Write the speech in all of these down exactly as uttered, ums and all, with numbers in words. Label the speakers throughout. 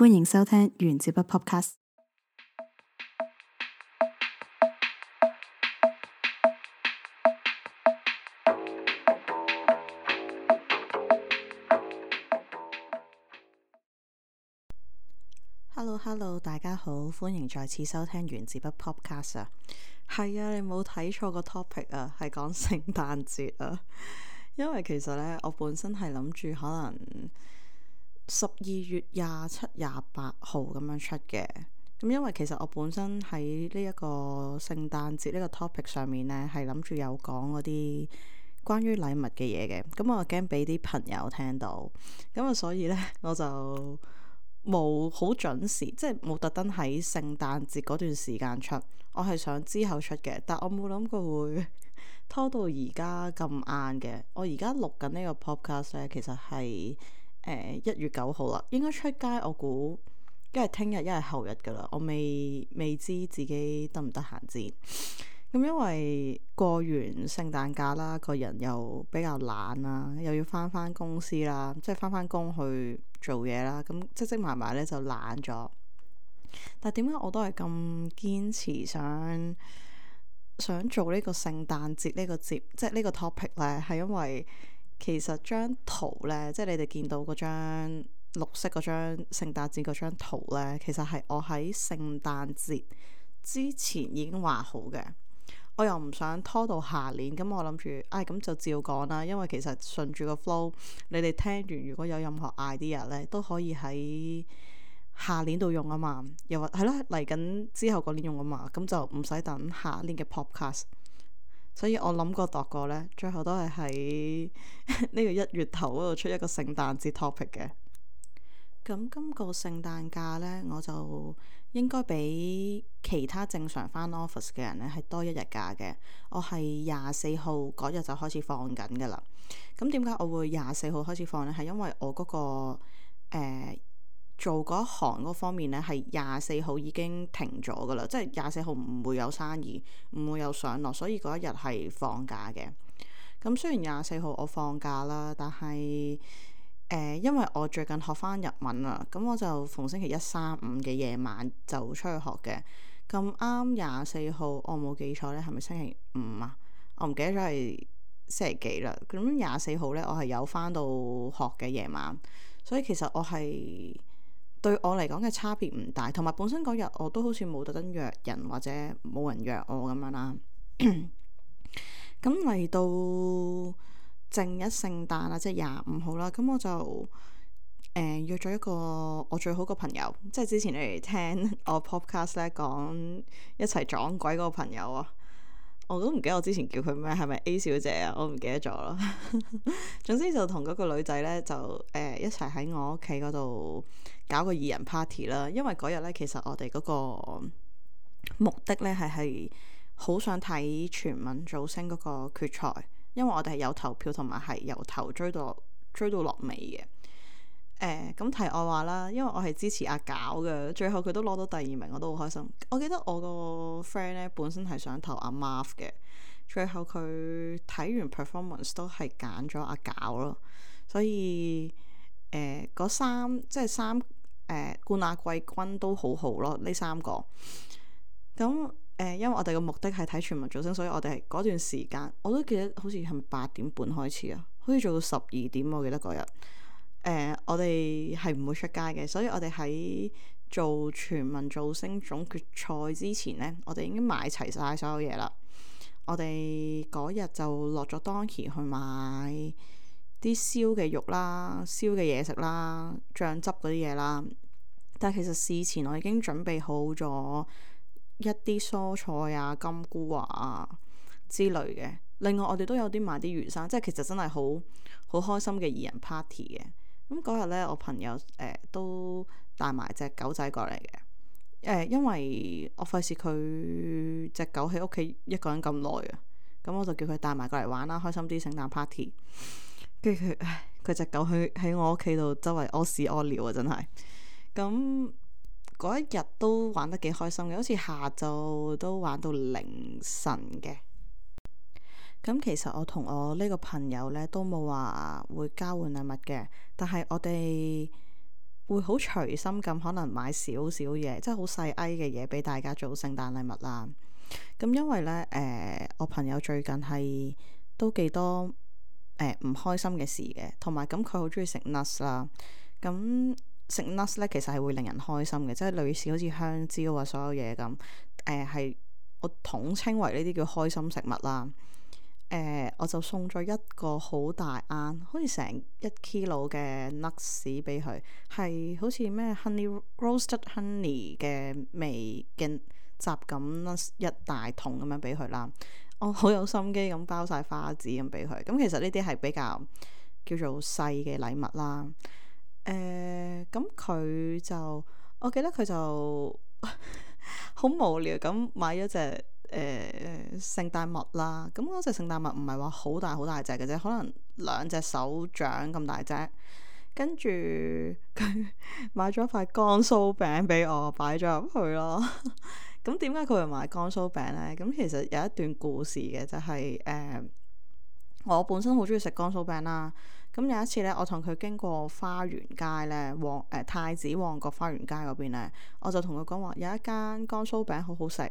Speaker 1: 歡迎收聽原子筆 Podcast。Hello Hello，大家好，歡迎再次收聽原子筆 Podcast 啊。係啊，你冇睇錯個 topic 啊，係講聖誕節啊。因為其實呢，我本身係諗住可能十二月廿七、廿八號咁樣出嘅。咁因為其實我本身喺呢一個聖誕節呢個 topic 上面呢，係諗住有講嗰啲關於禮物嘅嘢嘅。咁我驚俾啲朋友聽到，咁啊所以呢，我就冇好準時，即係冇特登喺聖誕節嗰段時間出。我係想之後出嘅，但我冇諗過會拖到而家咁晏嘅。我而家錄緊呢個 podcast 咧，其實係誒一月九號啦，應該出街我估一係聽日一係後日噶啦。我未未知自己得唔得閒先。咁因為過完聖誕假啦，個人又比較懶啦，又要翻翻公司啦，即係翻翻工去做嘢啦，咁積積埋埋咧就懶咗。但係點解我都係咁堅持想想做呢個聖誕節呢個節，即係呢個 topic 咧？係因為其實張圖咧，即係你哋見到嗰張綠色嗰張聖誕節嗰張圖咧，其實係我喺聖誕節之前已經畫好嘅。我又唔想拖到下年，咁我諗住，唉、哎，咁就照講啦。因為其實順住個 flow，你哋聽完如果有任何 idea 咧，都可以喺下年度用啊嘛。又或係咯，嚟緊之後嗰年用啊嘛，咁就唔使等下年嘅 podcast。所以我諗過度過咧，最後都係喺呢個一月頭嗰度出一個聖誕節 topic 嘅。咁今個聖誕假呢，我就應該比其他正常返 office 嘅人呢係多一日假嘅。我係廿四號嗰日就開始放緊噶啦。咁點解我會廿四號開始放呢？係因為我嗰、嗰個、呃、做嗰一行嗰方面呢，係廿四號已經停咗噶啦，即係廿四號唔會有生意，唔會有上落，所以嗰一日係放假嘅。咁雖然廿四號我放假啦，但係誒、呃，因為我最近學翻日文啊，咁我就逢星期一、三、五嘅夜晚就出去學嘅。咁啱廿四號，我冇記錯咧，係咪星期五啊？我唔記得咗係星期幾啦。咁廿四號咧，我係有翻到學嘅夜晚，所以其實我係對我嚟講嘅差別唔大。同埋本身嗰日我都好似冇特登約人或者冇人約我咁樣啦。咁嚟到正一聖誕啦，即係廿五號啦，咁我就誒、呃、約咗一個我最好個朋友，即係之前你哋聽我 podcast 咧講一齊撞鬼嗰個朋友啊，我都唔記得我之前叫佢咩，係咪 A 小姐啊？我唔記得咗啦。總之就同嗰個女仔咧就誒、呃、一齊喺我屋企嗰度搞個二人 party 啦。因為嗰日咧其實我哋嗰個目的咧係係好想睇全民造星嗰個決賽。因為我哋係有投票同埋係由頭追到追到落尾嘅。誒、呃，咁題外話啦，因為我係支持阿搞嘅，最後佢都攞到第二名，我都好開心。我記得我個 friend 咧本身係想投阿 Marv 嘅，最後佢睇完 performance 都係揀咗阿搞咯。所以誒，嗰、呃、三即係三誒、呃、冠亞季軍都好好咯，呢三個咁。誒、呃，因為我哋嘅目的係睇全民造星，所以我哋係嗰段時間，我都記得好似係咪八點半開始啊？好似做到十二點，我記得嗰日。誒、呃，我哋係唔會出街嘅，所以我哋喺做全民造星總決賽之前呢，我哋已經買齊晒所有嘢啦。我哋嗰日就落咗 Donkey 去買啲燒嘅肉啦、燒嘅嘢食啦、醬汁嗰啲嘢啦。但係其實事前我已經準備好咗一啲蔬菜啊、金菇啊之類嘅。另外我哋都有啲買啲魚生，即係其實真係好好開心嘅二人 party 嘅。咁嗰日呢，我朋友誒、呃、都帶埋隻狗仔過嚟嘅。誒、呃，因為我費事佢隻狗喺屋企一個人咁耐啊，咁我就叫佢帶埋過嚟玩啦，開心啲聖誕 party。跟住佢，唉，佢隻狗喺喺我屋企度周圍屙屎屙尿啊，真係。咁嗰一日都玩得幾開心嘅，好似下晝都玩到凌晨嘅。咁其實我同我呢個朋友呢都冇話會交換禮物嘅，但係我哋會好隨心咁可能買少少嘢，即係好細埃嘅嘢俾大家做聖誕禮物啦。咁因為呢，誒、呃、我朋友最近係都幾多誒唔開心嘅事嘅，同埋咁佢好中意食 nuts 啦。咁食 nuts 咧其實係會令人開心嘅，即係類似好似香蕉啊所有嘢咁。誒係我統稱為呢啲叫開心食物啦。誒、呃、我就送咗一個好大盎，好似成一 kilo 嘅 nuts 俾佢，係好似咩 honey roasted honey 嘅味嘅雜感 nuts 一大桶咁樣俾佢啦。我好有心機咁包晒花紙咁俾佢。咁其實呢啲係比較叫做細嘅禮物啦。誒咁佢就我記得佢就好無聊咁買咗隻誒聖誕襪啦。咁嗰隻聖誕襪唔係話好大好大隻嘅啫，可能兩隻手掌咁大隻。跟住佢買咗塊乾酥餅俾我擺咗入去咯。咁點解佢會買乾酥餅呢？咁其實有一段故事嘅，就係、是、誒、呃、我本身好中意食乾酥餅啦。咁有一次咧，我同佢經過花園街咧，旺誒、呃、太子旺角花園街嗰邊咧，我就同佢講話有一間乾酥餅好好食，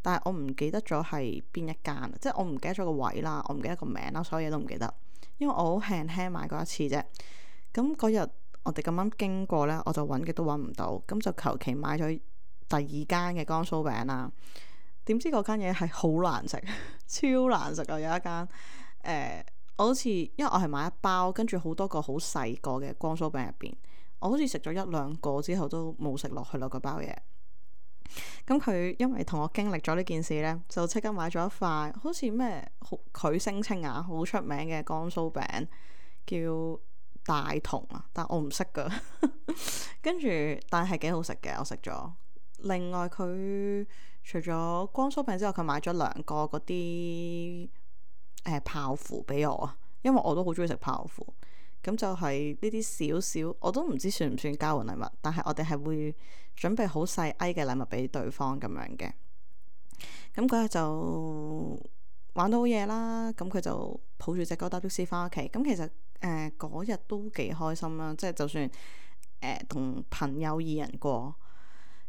Speaker 1: 但係我唔記得咗係邊一間，即係我唔記得咗個位啦，我唔記得個名啦，所有嘢都唔記得，因為我好輕輕買過一次啫。咁嗰日我哋咁啱經過咧，我就揾極都揾唔到，咁就求其買咗第二間嘅乾酥餅啦。點知嗰間嘢係好難食，超難食啊！有一間誒。呃我好似，因為我係買一包，跟住好多個好細個嘅乾酥餅入邊，我好似食咗一兩個之後都冇食落去咯，嗰包嘢。咁佢因為同我經歷咗呢件事呢，就即刻買咗一塊，好似咩好佢聲稱啊，好出名嘅乾酥餅，叫大同啊，但我唔識噶。跟住，但係幾好食嘅，我食咗。另外佢除咗乾酥餅之外，佢買咗兩個嗰啲。誒、呃、泡芙俾我啊，因為我都好中意食泡芙，咁就係呢啲少少，我都唔知算唔算交換禮物，但係我哋係會準備好細埃嘅禮物俾對方咁樣嘅。咁嗰日就玩到好夜啦，咁佢就抱住隻狗搭的士翻屋企。咁其實誒嗰日都幾開心啦，即係就算誒同、呃、朋友二人過，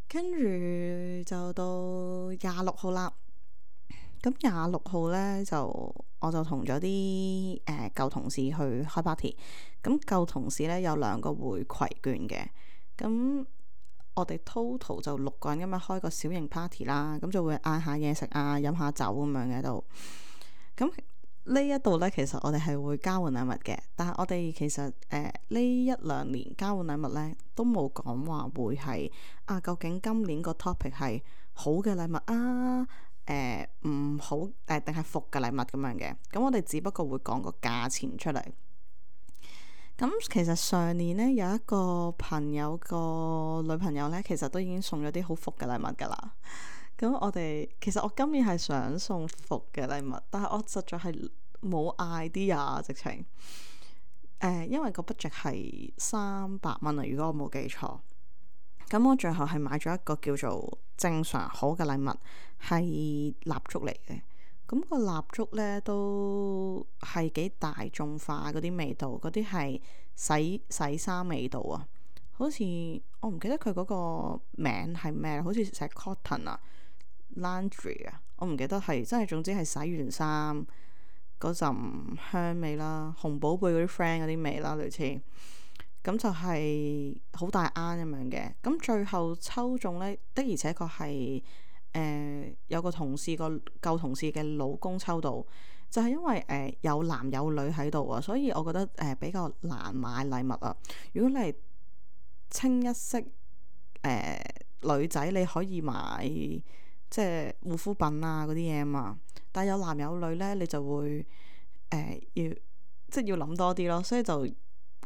Speaker 1: 跟住就到廿六號啦。咁廿六號咧就我就同咗啲誒舊同事去開 party。咁舊同事咧有兩個會攜券嘅，咁我哋 total 就六個人咁樣開個小型 party 啦。咁就會嗌下嘢食啊，飲下酒咁樣嘅度。咁呢一度咧，其實我哋係會交換禮物嘅，但係我哋其實誒呢、呃、一兩年交換禮物咧都冇講話會係啊，究竟今年個 topic 係好嘅禮物啊？誒唔、呃、好誒，定係伏嘅禮物咁樣嘅。咁我哋只不過會講個價錢出嚟。咁其實上年呢，有一個朋友個女朋友呢，其實都已經送咗啲好伏嘅禮物㗎啦。咁我哋其實我今年係想送伏嘅禮物，但係我實在係冇 idea 直情。誒、呃，因為個 budget 係三百蚊啊，如果我冇記錯。咁我最後係買咗一個叫做正常好嘅禮物，係蠟燭嚟嘅。咁、個蠟燭呢都係幾大眾化嗰啲味道，嗰啲係洗洗衫味道啊。好似我唔記得佢嗰個名係咩，好似寫 cotton 啊 laundry 啊，我唔記得係，真係總之係洗完衫嗰陣香味啦，紅寶貝嗰啲 friend 嗰啲味啦，類似。咁就係好大盎咁樣嘅。咁最後抽中呢，的而且確係誒有個同事個舊同事嘅老公抽到，就係、是、因為誒、呃、有男有女喺度啊，所以我覺得誒、呃、比較難買禮物啊。如果你係清一色誒、呃、女仔，你可以買即係護膚品啊嗰啲嘢啊嘛，但係有男有女呢，你就會誒、呃、要即係要諗多啲咯，所以就。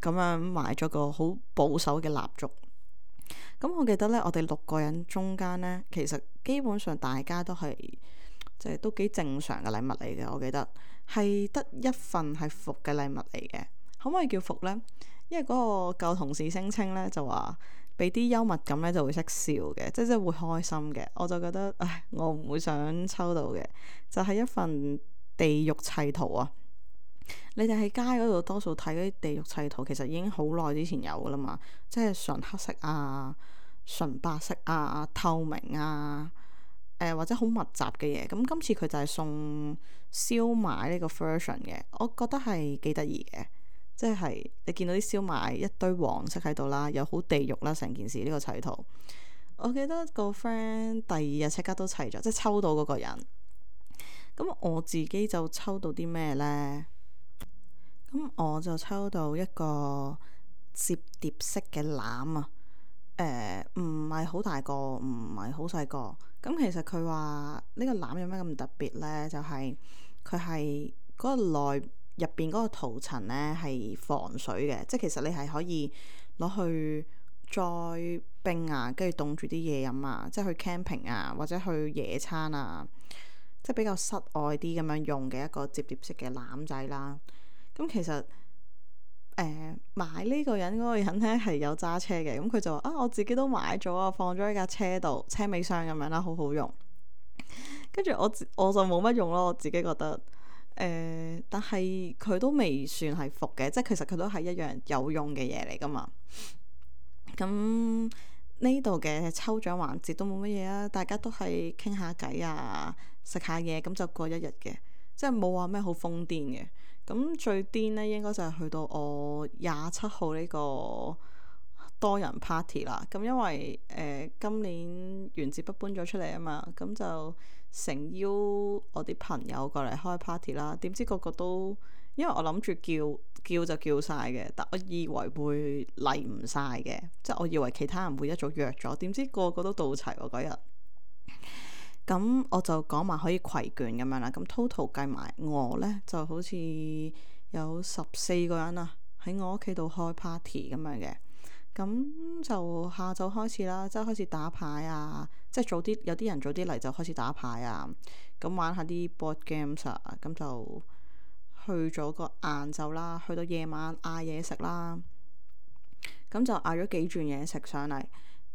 Speaker 1: 咁樣買咗個好保守嘅蠟燭。咁我記得呢，我哋六個人中間呢，其實基本上大家都係即係都幾正常嘅禮物嚟嘅。我記得係得一份係伏嘅禮物嚟嘅。可唔可以叫伏呢？因為嗰個舊同事聲稱呢，就話俾啲幽默感呢就會識笑嘅，即係即係會開心嘅。我就覺得唉，我唔會想抽到嘅，就係、是、一份地獄砌圖啊！你哋喺街嗰度多數睇嗰啲地獄砌圖，其實已經好耐之前有噶啦嘛，即係純黑色啊、純白色啊、透明啊，誒、呃、或者好密集嘅嘢。咁今次佢就係送燒賣呢個 version 嘅，我覺得係幾得意嘅。即係你見到啲燒賣一堆黃色喺度啦，又好地獄啦，成件事呢個砌圖。我記得個 friend 第二日即刻都砌咗，即係抽到嗰個人。咁我自己就抽到啲咩呢？咁我就抽到一個摺疊式嘅籃啊。誒唔係好大個，唔係好細個。咁其實佢話呢個籃有咩咁特別呢？就係佢係嗰個內入邊嗰個塗層呢係防水嘅，即係其實你係可以攞去再冰啊，跟住凍住啲嘢飲啊，即係去 camping 啊，或者去野餐啊，即係比較室外啲咁樣用嘅一個摺疊式嘅籃仔啦。咁其實誒、呃、買呢個人嗰個人呢係有揸車嘅，咁佢就話啊，我自己都買咗啊，放咗喺架車度，車尾箱咁樣啦，好好用。跟住我我就冇乜用咯，我自己覺得。誒、呃，但係佢都未算係伏嘅，即係其實佢都係一樣有用嘅嘢嚟噶嘛。咁呢度嘅抽獎環節都冇乜嘢啊，大家都係傾下偈啊，食下嘢，咁就過一日嘅，即係冇話咩好瘋癲嘅。咁最癲呢應該就係去到我廿七號呢個多人 party 啦。咁因為誒、呃、今年原子筆搬咗出嚟啊嘛，咁就誠邀我啲朋友過嚟開 party 啦。點知個個都，因為我諗住叫叫就叫晒嘅，但我以為會嚟唔晒嘅，即係我以為其他人會一早約咗，點知個個都到齊喎嗰日。咁我就講埋可以攜眷咁樣啦。咁 total 計埋我呢，就好似有十四個人啊，喺我屋企度開 party 咁樣嘅。咁就下晝開始啦，即係開始打牌啊，即係早啲有啲人早啲嚟就開始打牌啊，咁玩下啲 board games 啊，咁就去咗個晏晝啦，去到夜晚嗌嘢食啦，咁就嗌咗幾轉嘢食上嚟。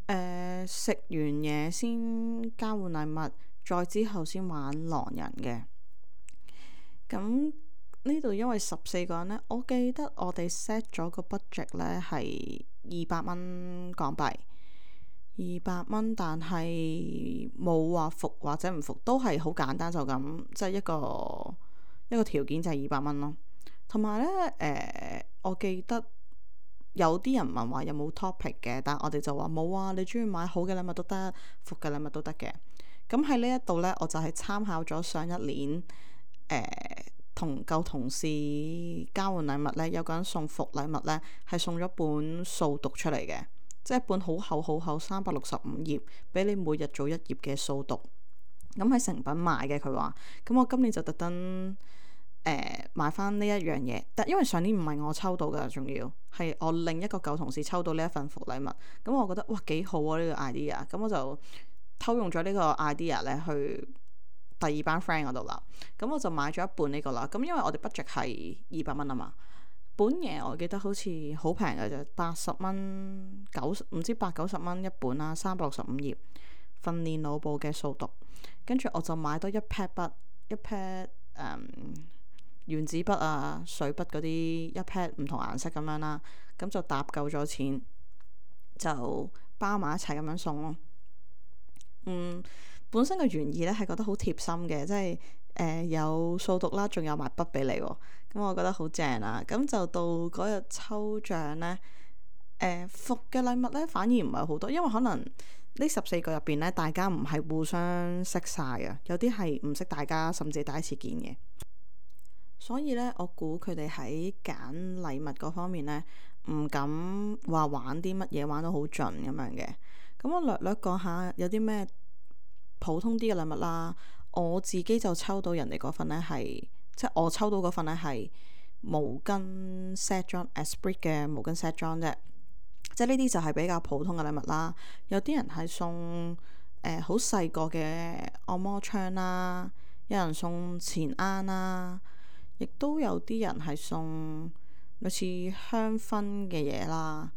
Speaker 1: 誒、呃、食完嘢先交換禮物，再之後先玩狼人嘅。咁呢度因為十四個人呢，我記得我哋 set 咗個 budget 呢係二百蚊港幣，二百蚊，但係冇話服或者唔服，都係好簡單就咁，即係一個一個條件就係二百蚊咯。同埋呢，誒、呃，我記得有啲人問話有冇 topic 嘅，但係我哋就話冇啊，你中意買好嘅禮物都得，服嘅禮物都得嘅。咁喺呢一度呢，我就係參考咗上一年誒。呃同舊同事交換禮物呢，有個人送服禮物呢，係送咗本掃讀出嚟嘅，即係一本好厚好厚三百六十五頁，俾你每日做一頁嘅掃讀。咁喺誠品買嘅，佢話。咁我今年就特登誒買翻呢一樣嘢，但因為上年唔係我抽到㗎，仲要係我另一個舊同事抽到呢一份服禮物。咁我覺得哇幾好啊呢個 idea，咁我就偷用咗呢個 idea 呢去第二班 friend 嗰度啦，咁我就買咗一半呢個啦。咁因為我哋 budget 係二百蚊啊嘛，本嘢我記得好似好平嘅啫，八十蚊九唔知八九十蚊一本啦，三百六十五頁訓練腦部嘅掃讀。跟住我就買多一 pad 筆，一 pad 誒原子筆啊、水筆嗰啲一 pad 唔同顏色咁樣啦，咁就搭夠咗錢，就包埋一齊咁樣送咯。嗯。本身嘅原意咧係覺得好貼心嘅，即係誒、呃、有掃讀啦，仲有埋筆俾你喎，咁我覺得好正啊！咁就到嗰日抽獎呢，誒、呃、服嘅禮物呢反而唔係好多，因為可能呢十四個入邊呢，大家唔係互相識晒啊，有啲係唔識大家，甚至第一次見嘅，所以呢，我估佢哋喺揀禮物嗰方面呢，唔敢話玩啲乜嘢玩到好盡咁樣嘅。咁我略略講下有啲咩普通啲嘅禮物啦，我自己就抽到人哋嗰份呢係，即係我抽到嗰份呢係毛巾 set 裝 Esprit 嘅毛巾 set 裝啫，即係呢啲就係比較普通嘅禮物啦。有啲人係送誒好細個嘅按摩槍啦，有人送錢罌啦，亦都有啲人係送類似香薰嘅嘢啦，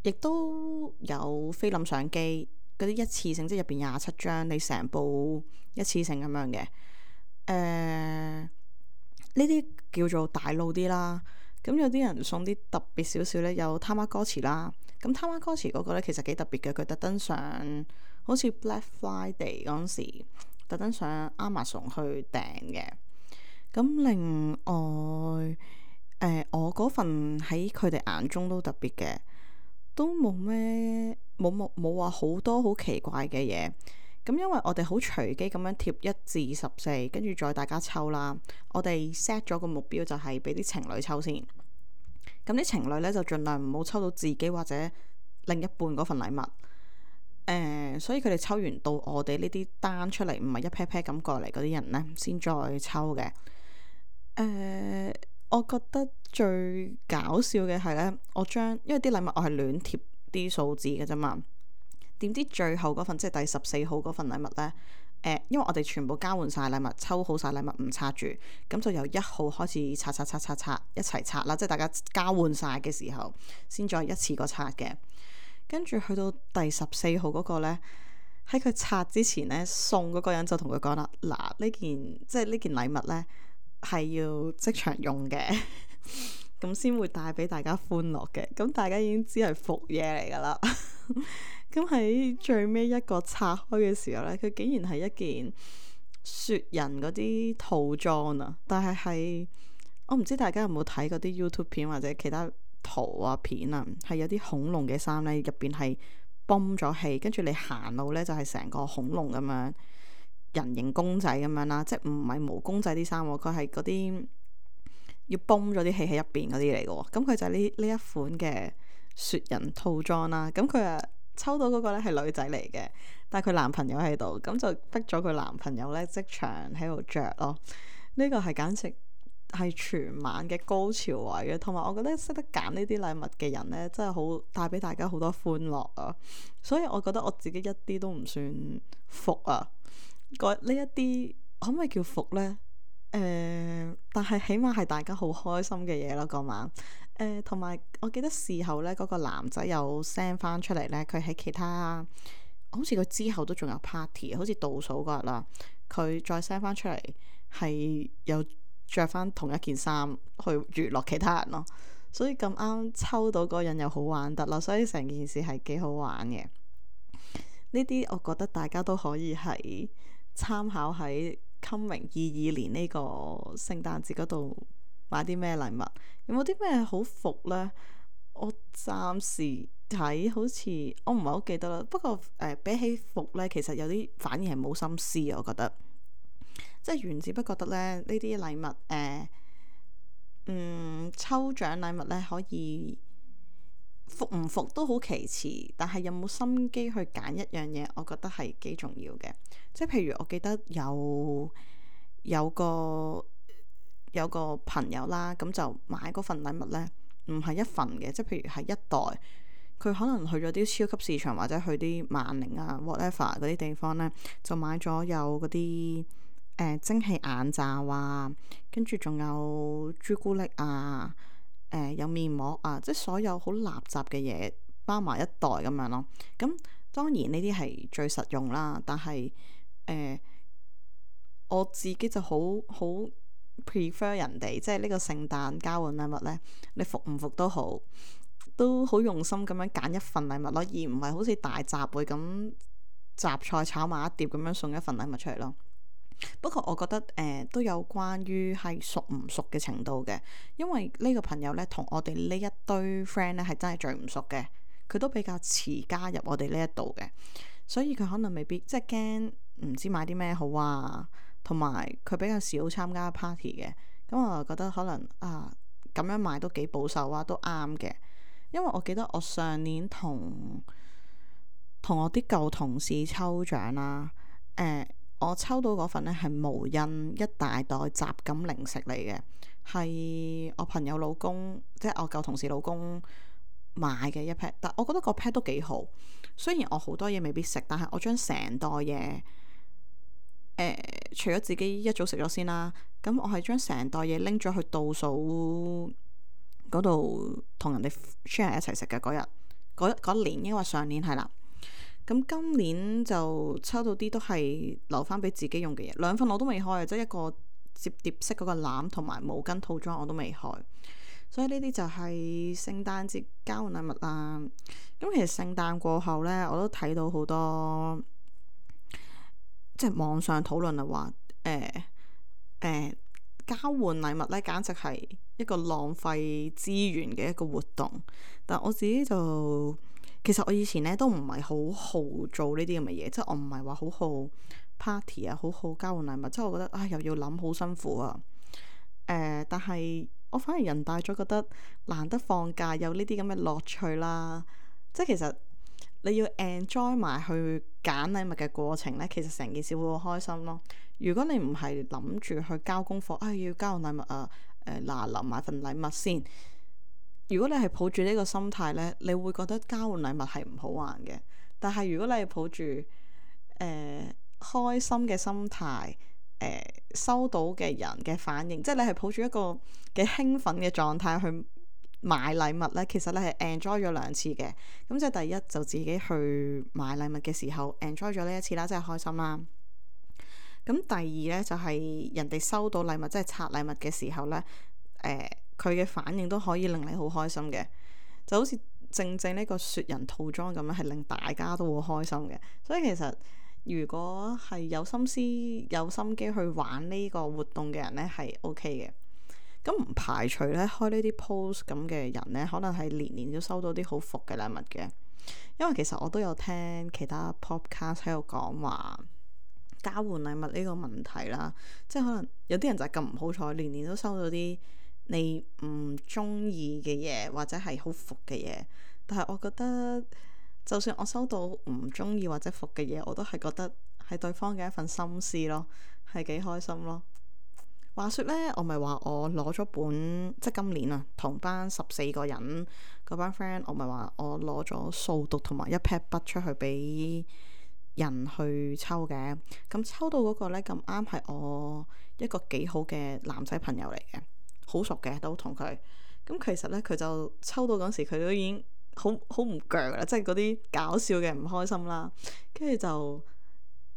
Speaker 1: 亦都有菲林相機。嗰啲一次性，即係入邊廿七張，你成部一次性咁樣嘅。誒、呃，呢啲叫做大路啲啦。咁有啲人送啲特別少少呢，有 Tamagotchi 啦。咁 Tamagotchi 嗰個呢，其實幾特別嘅，佢特登上好似 Black Friday 嗰陣時，特登上 Amazon 去訂嘅。咁另外，誒、呃、我嗰份喺佢哋眼中都特別嘅，都冇咩冇冇冇話好多好奇怪嘅嘢。咁因為我哋好隨機咁樣貼一至十四，跟住再大家抽啦。我哋 set 咗個目標就係俾啲情侶抽先。咁啲情侶呢，就盡量唔好抽到自己或者另一半嗰份禮物。誒、呃，所以佢哋抽完到我哋呢啲單出嚟，唔係一 pair pair 咁過嚟嗰啲人呢，先再抽嘅。誒、呃，我覺得最搞笑嘅係呢，我將因為啲禮物我係亂貼啲數字嘅啫嘛。點知最後嗰份即係第十四號嗰份禮物呢？誒、呃，因為我哋全部交換晒禮物，抽好晒禮物唔拆住，咁就由一號開始拆拆拆拆拆一齊拆啦，即係大家交換晒嘅時候，先再一次過拆嘅。跟住去到第十四號嗰個呢，喺佢拆之前呢，送嗰個人就同佢講啦：嗱，呢件即係呢件禮物呢，係要即場用嘅，咁先會帶俾大家歡樂嘅。咁大家已經知係伏嘢嚟噶啦。咁喺最尾一個拆開嘅時候呢，佢竟然係一件雪人嗰啲套裝啊！但係係我唔知大家有冇睇嗰啲 YouTube 片或者其他圖啊片啊，係有啲恐龍嘅衫呢，入邊係泵咗氣，跟住你行路呢，就係成個恐龍咁樣人形公仔咁樣啦，即係唔係毛公仔啲衫，佢係嗰啲要泵咗啲氣喺入邊嗰啲嚟嘅喎。咁佢就係呢呢一款嘅雪人套裝啦。咁佢啊〜抽到嗰個咧係女仔嚟嘅，但係佢男朋友喺度，咁就逼咗佢男朋友咧即場喺度着咯。呢、這個係簡直係全晚嘅高潮位嘅，同埋我覺得識得揀呢啲禮物嘅人咧，真係好帶俾大家好多歡樂啊！所以我覺得我自己一啲都唔算服啊。呢一啲可唔可以叫服呢？誒、呃，但係起碼係大家好開心嘅嘢咯，嗰晚。誒，同埋、呃、我記得事後咧，嗰、那個男仔有 send 翻出嚟咧，佢喺其他好似佢之後都仲有 party，好似倒數嗰日啦，佢再 send 翻出嚟係有着翻同一件衫去娛樂其他人咯，所以咁啱抽到嗰個人又好玩得啦，所以成件事係幾好玩嘅。呢啲我覺得大家都可以係參考喺 coming 二二年呢個聖誕節嗰度。買啲咩禮物？有冇啲咩好服呢？我暫時睇好似我唔係好記得啦。不過誒、呃，比起服呢，其實有啲反而係冇心思啊。我覺得即係原子不覺得咧，呢啲禮物誒、呃，嗯，抽獎禮物呢，可以服唔服都好其次，但係有冇心機去揀一樣嘢，我覺得係幾重要嘅。即係譬如我記得有有個。有個朋友啦，咁就買嗰份禮物呢，唔係一份嘅，即係譬如係一袋，佢可能去咗啲超級市場或者去啲萬寧啊 whatever 嗰啲地方呢，就買咗有嗰啲誒蒸汽眼罩啊，跟住仲有朱古力啊，誒、呃、有面膜啊，即係所有好垃圾嘅嘢包埋一袋咁樣咯。咁當然呢啲係最實用啦，但係誒、呃、我自己就好好。prefer 人哋即係呢個聖誕交換禮物呢，你服唔服都好，都好用心咁樣揀一份禮物咯，而唔係好似大集會咁雜菜炒埋一碟咁樣送一份禮物出嚟咯。不過我覺得誒、呃、都有關於係熟唔熟嘅程度嘅，因為呢個朋友呢，同我哋呢一堆 friend 呢係真係最唔熟嘅，佢都比較遲加入我哋呢一度嘅，所以佢可能未必即係驚唔知買啲咩好啊。同埋佢比較少參加 party 嘅，咁我就覺得可能啊咁樣買都幾保守啊，都啱嘅。因為我記得我上年同同我啲舊同事抽獎啦，誒、呃、我抽到嗰份呢係無印一大袋雜錦零食嚟嘅，係我朋友老公即係我舊同事老公買嘅一 pack，但我覺得個 pack 都幾好。雖然我好多嘢未必食，但係我將成袋嘢。誒、呃，除咗自己一早食咗先啦，咁我係將成袋嘢拎咗去倒數嗰度同人哋 share 一齊食嘅嗰日，嗰年，因為上年係啦，咁今年就抽到啲都係留翻俾自己用嘅嘢，兩份我都未開，即係一個摺疊式嗰個籃同埋毛巾套裝我都未開。所以呢啲就係聖誕節交換禮物啦。咁其實聖誕過後呢，我都睇到好多即係網上討論啊，話誒誒交換禮物呢，簡直係一個浪費資源嘅一個活動。但我自己就其實我以前呢都唔係好好做呢啲咁嘅嘢，即係我唔係話好好 party 啊，好好交換禮物，即係我覺得啊又要諗好辛苦啊。誒、呃，但係我反而人大咗，覺得難得放假有呢啲咁嘅樂趣啦。即係其實你要 enjoy 埋去揀禮物嘅過程呢，其實成件事會好開心咯。如果你唔係諗住去交功課，啊要交換禮物啊，誒嗱臨買份禮物先。如果你係抱住呢個心態呢，你會覺得交換禮物係唔好玩嘅。但係如果你係抱住誒、呃、開心嘅心態，誒、呃、收到嘅人嘅反應，即係你係抱住一個幾興奮嘅狀態去買禮物呢，其實你係 enjoy 咗兩次嘅。咁即係第一就自己去買禮物嘅時候 enjoy 咗呢一次啦，真係開心啦。咁第二呢，就係、是、人哋收到禮物，即係拆禮物嘅時候呢，誒佢嘅反應都可以令你好開心嘅，就好似正正呢個雪人套裝咁樣，係令大家都好開心嘅。所以其實如果係有心思有心機去玩呢個活動嘅人呢，係 OK 嘅。咁唔排除咧開呢啲 post 咁嘅人呢，可能係年年都收到啲好伏嘅禮物嘅。因為其實我都有聽其他 podcast 喺度講話交換禮物呢個問題啦，即係可能有啲人就係咁唔好彩，年年都收到啲你唔中意嘅嘢，或者係好伏嘅嘢。但係我覺得就算我收到唔中意或者伏嘅嘢，我都係覺得係對方嘅一份心思咯，係幾開心咯。話說呢，我咪話我攞咗本，即係今年啊，同班十四個人嗰班 friend，我咪話我攞咗數獨同埋一 pad 筆出去俾人去抽嘅。咁抽到嗰個呢，咁啱係我一個幾好嘅男仔朋友嚟嘅，好熟嘅都同佢。咁其實呢，佢就抽到嗰時，佢都已經好好唔鋸啦，即係嗰啲搞笑嘅唔開心啦。跟住就。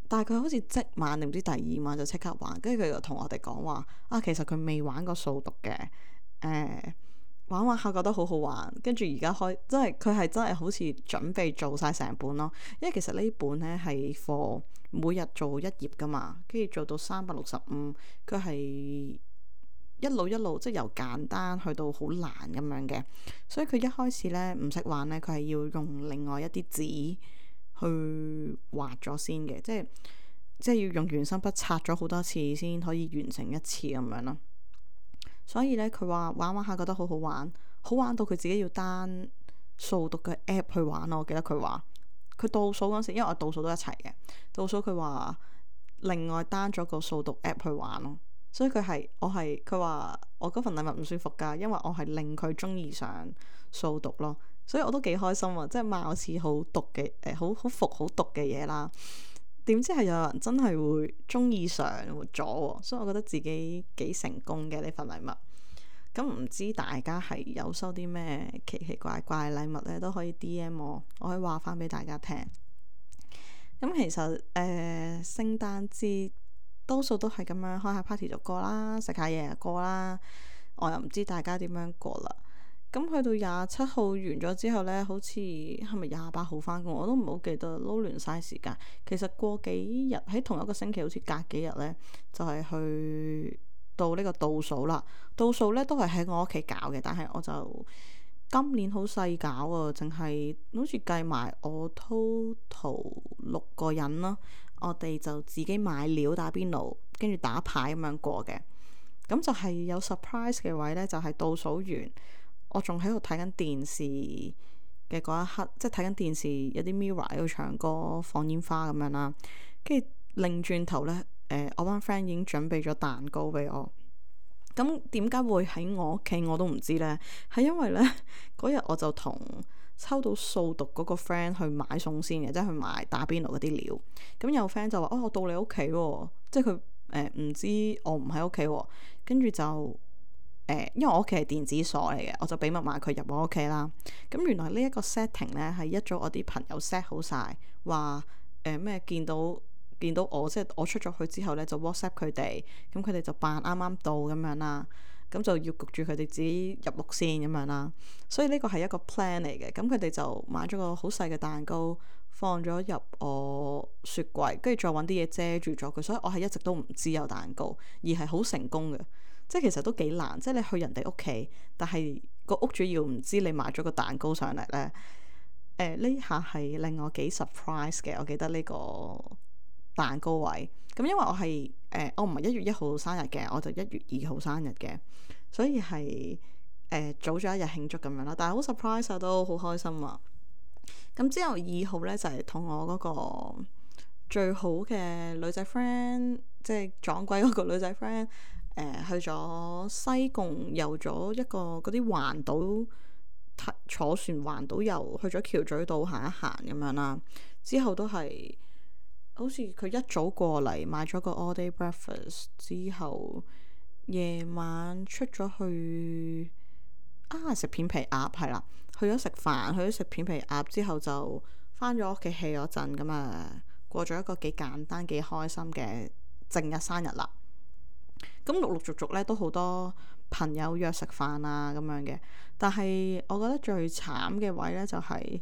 Speaker 1: 但係佢好似即晚定唔知第二晚就即刻玩，跟住佢就同我哋講話啊，其實佢未玩過數獨嘅，誒、呃、玩玩下覺得好好玩，跟住而家開，即係佢係真係好似準備做晒成本咯。因為其實呢本呢係 for 每日做一頁噶嘛，跟住做到三百六十五，佢係一路一路即係由簡單去到好難咁樣嘅，所以佢一開始呢唔識玩呢，佢係要用另外一啲紙去畫咗先嘅，即係即係要用原生筆擦咗好多次先可以完成一次咁樣咯。所以呢，佢話玩玩下覺得好好玩，好玩到佢自己要 down 數獨嘅 app 去玩咯。我記得佢話佢倒數嗰時，因為我倒數都一齊嘅，倒數佢話另外 down 咗個數獨 app 去玩咯。所以佢係我係佢話我嗰份禮物唔舒服㗎，因為我係令佢中意上數獨咯。所以我都幾開心啊！即係貌似好毒嘅誒，好好服好毒嘅嘢啦。點知係有人真係會中意上咗，所以我覺得自己幾成功嘅呢份禮物。咁唔知大家係有收啲咩奇奇怪怪禮物呢？都可以 D M 我，我可以話翻俾大家聽。咁其實誒、呃、聖誕節多數都係咁樣開下 party 就過啦，食下嘢就過啦。我又唔知大家點樣過啦。咁去到廿七號完咗之後呢，好似係咪廿八號返工？我都唔好記得，撈亂晒時間。其實過幾日喺同一個星期，好似隔幾日呢，就係、是、去到呢個倒數啦。倒數呢都係喺我屋企搞嘅，但係我就今年好細搞啊，淨係好似計埋我 total 六個人啦。我哋就自己買料打邊爐，跟住打牌咁樣過嘅。咁就係有 surprise 嘅位呢，就係、是、倒數完。我仲喺度睇緊電視嘅嗰一刻，即係睇緊電視有啲 Mirror 喺度唱歌放煙花咁樣啦，跟住擰轉頭呢，誒、呃、我班 friend 已經準備咗蛋糕俾我。咁點解會喺我屋企我都唔知呢？係因為呢嗰日我就同抽到數獨嗰個 friend 去買餸先嘅，即係去買打邊爐嗰啲料。咁有 friend 就話：哦，我到你屋企喎，即係佢誒唔知我唔喺屋企喎，跟住就。誒，因為我屋企係電子鎖嚟嘅，我就俾密碼佢入我屋企啦。咁原來呢一個 setting 呢，係一早我啲朋友 set 好晒，話誒咩見到見到我，即係我出咗去之後呢，就 WhatsApp 佢哋，咁佢哋就扮啱啱到咁樣啦，咁就要焗住佢哋自己入屋先咁樣啦。所以呢個係一個 plan 嚟嘅。咁佢哋就買咗個好細嘅蛋糕，放咗入我雪櫃，跟住再揾啲嘢遮住咗佢，所以我係一直都唔知有蛋糕，而係好成功嘅。即係其實都幾難，即係你去人哋屋企，但係個屋主要唔知你買咗個蛋糕上嚟呢。誒呢下係令我幾 surprise 嘅。我記得呢個蛋糕位，咁因為我係誒、呃、我唔係一月一號生日嘅，我就一月二號生日嘅，所以係誒、呃、早咗一日慶祝咁樣啦。但係好 surprise 啊，都好開心啊！咁之後二號呢，就係、是、同我嗰個最好嘅女仔 friend，即係撞鬼嗰個女仔 friend，誒去咗西貢遊咗一個嗰啲環島。坐船環島遊，去咗橋咀島行一行咁樣啦。之後都係好似佢一早過嚟買咗個 all day breakfast，之後夜晚出咗去啊食片皮鴨係啦，去咗食飯，去咗食片皮鴨之後就返咗屋企 hea 咗陣咁啊，過咗一個幾簡單幾開心嘅正日生日啦。咁陸陸續續咧都好多朋友約食飯啊咁樣嘅，但係我覺得最慘嘅位呢，就係、是、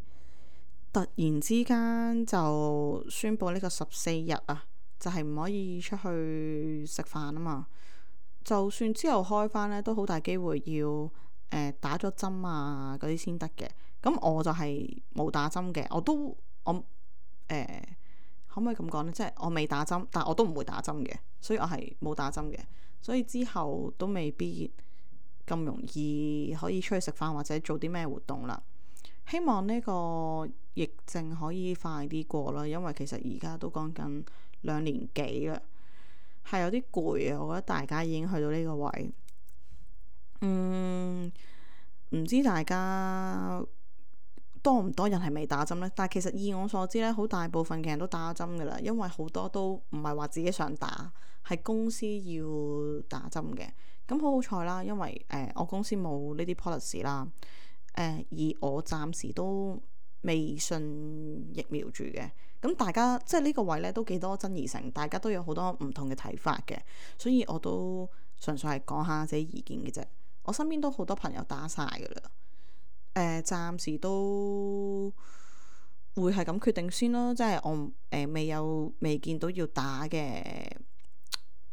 Speaker 1: 突然之間就宣布呢個十四日啊，就係、是、唔可以出去食飯啊嘛。就算之後開翻呢，都好大機會要誒、呃、打咗針啊嗰啲先得嘅。咁我就係冇打針嘅，我都我誒、呃、可唔可以咁講呢？即係我未打針，但我都唔會打針嘅，所以我係冇打針嘅。所以之後都未必咁容易可以出去食飯或者做啲咩活動啦。希望呢個疫症可以快啲過啦，因為其實而家都講緊兩年幾啦，係有啲攰啊。我覺得大家已經去到呢個位，嗯，唔知大家多唔多人係未打針呢？但係其實以我所知呢，好大部分嘅人都打咗針噶啦，因為好多都唔係話自己想打，係公司要打針嘅。咁好好彩啦，因為誒、呃、我公司冇呢啲 policy 啦，誒、呃、而我暫時都未信疫苗住嘅。咁大家即係呢個位咧都幾多爭議性，大家都有好多唔同嘅睇法嘅，所以我都純粹係講下自己意見嘅啫。我身邊都好多朋友打晒噶啦。誒、呃，暫時都會係咁決定先咯，即係我誒、呃、未有未見到要打嘅，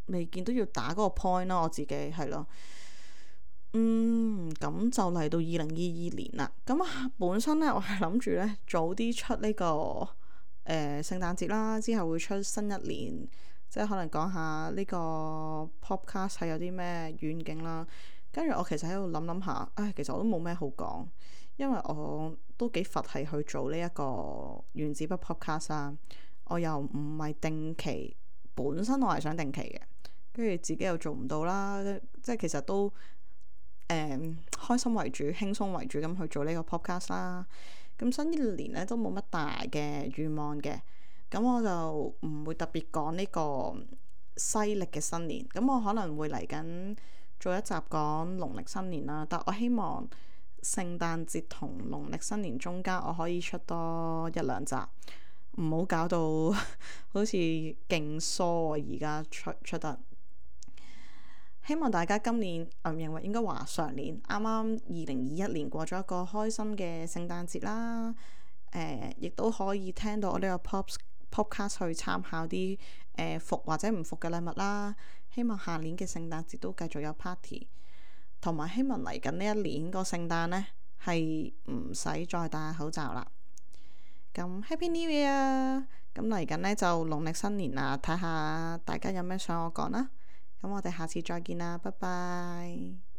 Speaker 1: 未見到要打嗰個 point 咯，我自己係咯。嗯，咁就嚟到二零二二年啦。咁啊，本身咧我係諗住咧早啲出呢、這個誒、呃、聖誕節啦，之後會出新一年，即係可能講下呢個 podcast 係有啲咩遠景啦。跟住我其實喺度諗諗下，唉，其實我都冇咩好講，因為我都幾佛系去做呢一個原子筆 podcast 啊。我又唔係定期，本身我係想定期嘅，跟住自己又做唔到啦，即係其實都誒、嗯、開心為主、輕鬆為主咁去做呢個 podcast 啦。咁新一年咧都冇乜大嘅願望嘅，咁我就唔會特別講呢個西歷嘅新年，咁我可能會嚟緊做一集講農曆新年啦，但我希望聖誕節同農曆新年中間我可以出多一兩集，唔好搞到好似勁疏啊！而家出出得，希望大家今年唔認為應該話上年啱啱二零二一年過咗一個開心嘅聖誕節啦。誒、呃，亦都可以聽到我呢個 pop podcast 去參考啲誒服或者唔服嘅禮物啦。希望下年嘅聖誕節都繼續有 party， 同埋希望嚟緊呢一年個聖誕呢係唔使再戴口罩啦。咁 Happy New Year！ 咁嚟緊呢就農曆新年啦，睇下大家有咩想我講啦。咁我哋下次再見啦，拜拜。